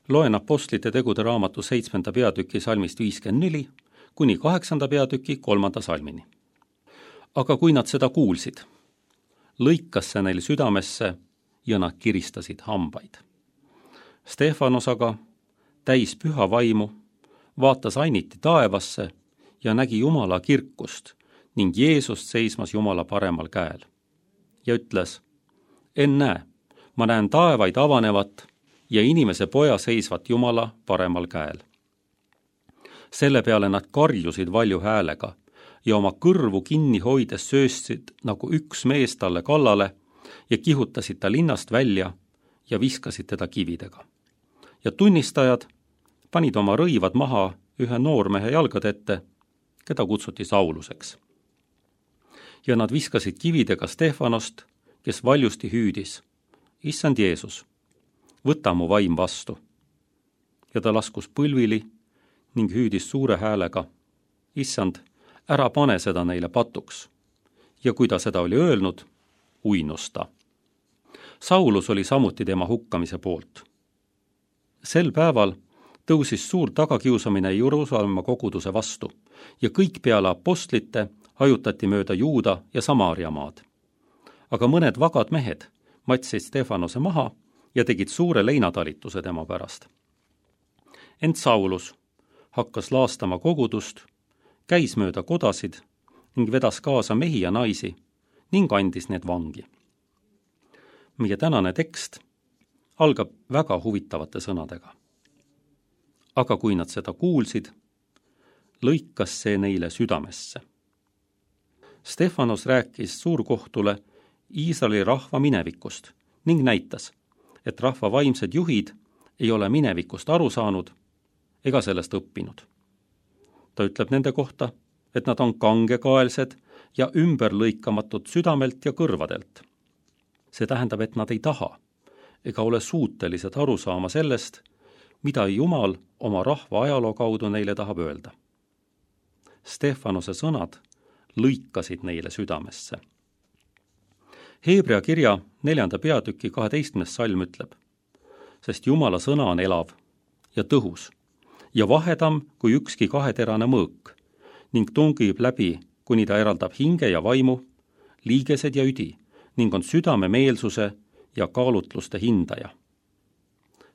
Loen Apostlite tegude raamatu 7. peatüki salmist 54 kuni 8. peatüki 3. salmini. Aga kui nad seda kuulsid, lõikas see neil südamesse ja nad kiristasid hambaid. Stefanos aga, täis püha vaimu, vaatas ainiti taevasse ja nägi Jumala kirkust ning Jeesust seismas Jumala paremal käel. Ja ütles, ennäe, ma näen taevaid avanevat ja inimese poja seisvat Jumala paremal käel. Selle peale nad karjusid valju häälega ja oma kõrvu kinni hoides sööstsid nagu üks mees talle kallale ja kihutasid ta linnast välja ja viskasid teda kividega. Ja tunnistajad panid oma rõivad maha ühe noormehe jalgade ette, keda kutsuti Sauluseks. Ja nad viskasid kividega Stefanost, kes valjusti hüüdis, Issand Jeesus, võta mu vaim vastu. Ja ta laskus põlvili ning hüüdis suure häälega, Issand, ära pane seda neile patuks. Ja kui ta seda oli öelnud, uinus ta. Saulus oli samuti tema hukkamise poolt. Sel päeval tõusis suur tagakiusamine Jeruusalemma koguduse vastu ja kõik peale apostlite hajutati mööda Juuda ja Samaaria maad. Aga mõned vagad mehed matsid Stefanose maha ja tegid suure leinatalituse tema pärast. Ent Saulus hakkas laastama kogudust, käis mööda kodasid ning vedas kaasa mehi ja naisi ning andis need vangi. Meie tänane tekst algab väga huvitavate sõnadega. Aga kui nad seda kuulsid, lõikas see neile südamesse. Stefanos rääkis suurkohtule Iisraeli rahva minevikust ning näitas, et rahva vaimsed juhid ei ole minevikust aru saanud ega sellest õppinud. Ta ütleb nende kohta, et nad on kangekaelsed ja ümberlõikamatud südamelt ja kõrvadelt. See tähendab, et nad ei taha ega ole suutelised aru saama sellest, mida Jumal oma rahva ajaloo kaudu neile tahab öelda. Stefanose sõnad lõikasid neile südamesse. Heebrea kirja 4. peatüki 12. salm ütleb, sest Jumala sõna on elav ja tõhus ja vahedam kui ükski kaheterane mõõk ning tungib läbi, kuni ta eraldab hinge ja vaimu, liigesed ja üdi ning on südame meelsuse ja kaalutluste hindaja.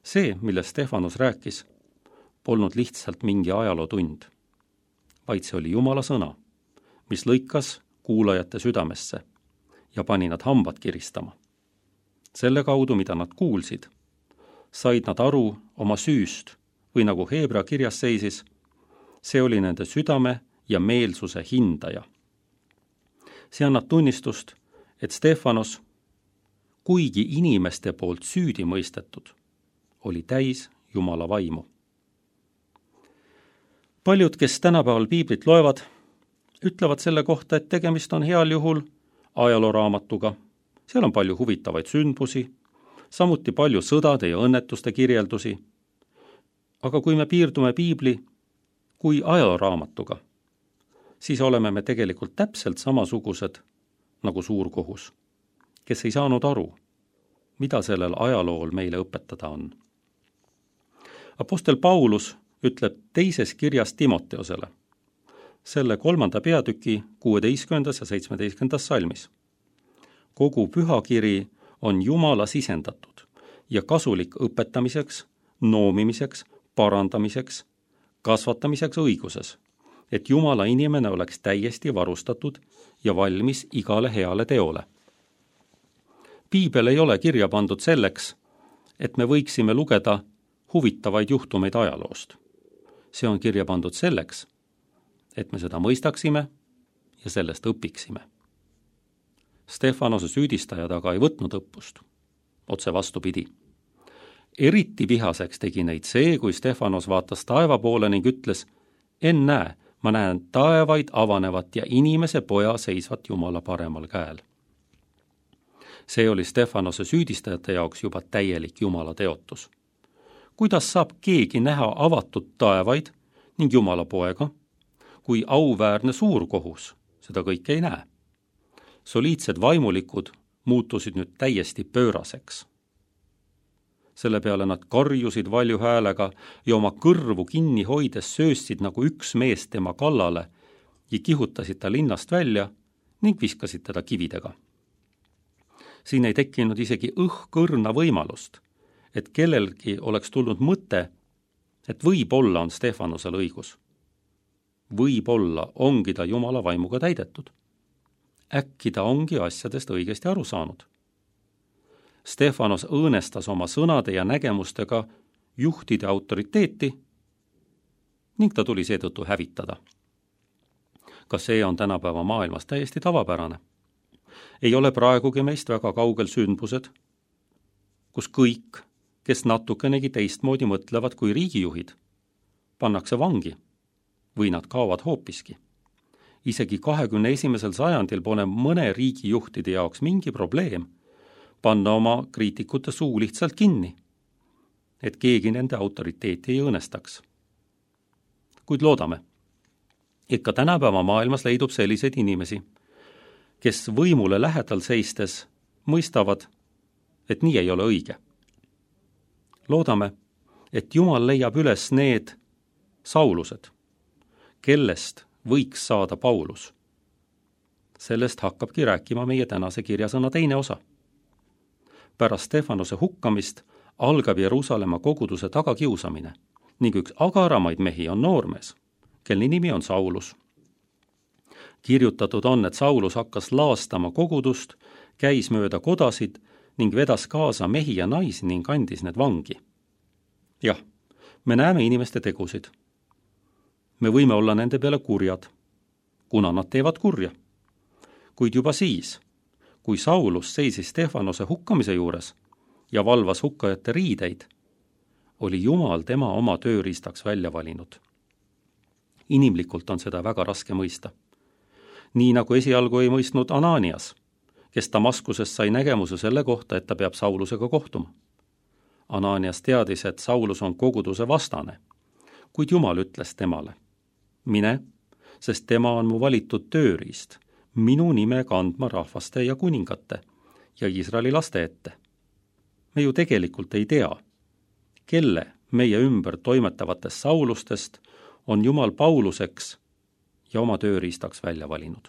See, millest Stefanos rääkis, polnud lihtsalt mingi ajalootund, vaid see oli Jumala sõna, mis lõikas kuulajate südamesse ja pani nad hambad kiristama. Selle kaudu, mida nad kuulsid, said nad aru oma süüst või nagu Heebrea kirjas seisis, see oli nende südame ja meelsuse hindaja. See annab tunnistust, et Stefanos, kuigi inimeste poolt süüdi mõistetud, oli täis Jumala vaimu. Paljud, kes tänapäeval piiblit loevad, ütlevad selle kohta, et tegemist on heal juhul ajalooraamatuga. Seal on palju huvitavaid sündmusi, samuti palju sõdade ja õnnetuste kirjeldusi. Aga kui me piirdume piibli kui ajalooraamatuga, siis oleme me tegelikult täpselt samasugused nagu suurkohus, kes ei saanud aru, mida sellel ajalool meile õpetada on. Apostel Paulus ütleb teises kirjas Timoteosele, selle 3. peatüki 16. ja 17. salmis. Kogu pühakiri on Jumala sisendatud ja kasulik õpetamiseks, noomimiseks, parandamiseks, kasvatamiseks õiguses, et Jumala inimene oleks täiesti varustatud ja valmis igale heale teole. Piibel ei ole kirja pandud selleks, et me võiksime lugeda huvitavaid juhtumeid ajaloost. See on kirja pandud selleks, et me seda mõistaksime ja sellest õpiksime. Stefanose süüdistajad aga ei võtnud õppust, otse vastupidi. Eriti vihaseks tegi neid see, kui Stefanos vaatas taeva poole ning ütles, ennäe, ma näen taevaid avanevat ja inimese poja seisvat Jumala paremal käel. See oli Stefanose süüdistajate jaoks juba täielik Jumala teotus. Kuidas saab keegi näha avatud taevaid ning Jumala poega, kui auväärne suurkohus seda kõike ei näe? Soliidsed vaimulikud muutusid nüüd täiesti pööraseks. Selle peale nad karjusid valju häälega ja oma kõrvu kinni hoides sööstsid nagu üks mees tema kallale ja kihutasid ta linnast välja ning viskasid teda kividega. Siin ei tekkinud isegi õhkõrna võimalust, et kellelgi oleks tulnud mõte, et võib-olla on Stefanosel õigus. Võib-olla ongi ta Jumala vaimuga täidetud. Äkki ta ongi asjadest õigesti aru saanud. Stefanos õõnestas oma sõnade ja nägemustega juhtide autoriteeti ning ta tuli seetõttu hävitada. Ka see on tänapäeva maailmas täiesti tavapärane. Ei ole praegugi meist väga kaugel sündmused, kus kõik, kes natukenegi teistmoodi mõtlevad kui riigijuhid, pannakse vangi või nad kaovad hoopiski. Isegi 21. sajandil pole mõne riigijuhtide jaoks mingi probleem panna oma kriitikute suu lihtsalt kinni, et keegi nende autoriteeti ei õõnestaks. Kuid loodame, et ka tänapäeva maailmas leidub selliseid inimesi, kes võimule lähedal seistes mõistavad, et nii ei ole õige. Loodame, et Jumal leiab üles need Saulused, kellest võiks saada Paulus. Sellest hakkabki rääkima meie tänase kirjasõna teine osa. Pärast Stefanose hukkamist algab Jeruusalemma koguduse tagakiusamine ning üks agaramaid mehi on noormees, kelle nimi on Saulus. Kirjutatud on, et Saulus hakkas laastama kogudust, käis mööda kodasid ning vedas kaasa mehi ja naisi ning andis need vangi. Jah, me näeme inimeste tegusid. Me võime olla nende peale kurjad, kuna nad teevad kurja. Kuid juba siis, kui Saulus seisis Stefanose hukkamise juures ja valvas hukkajate riideid, oli Jumal tema oma tööriistaks välja valinud. Inimlikult on seda väga raske mõista. Nii nagu esialgu ei mõistnud Ananias, kes Damaskusest sai nägemuse selle kohta, et ta peab Saulusega kohtuma. Ananias teadis, et Saulus on koguduse vastane, kuid Jumal ütles temale: mine, sest tema on mu valitud tööriist, minu nime kandma rahvaste ja kuningate ja Iisraeli laste ette. Me ju tegelikult ei tea, kelle meie ümber toimetavatest Saulustest on Jumal Pauluseks ja oma tööriistaks välja valinud.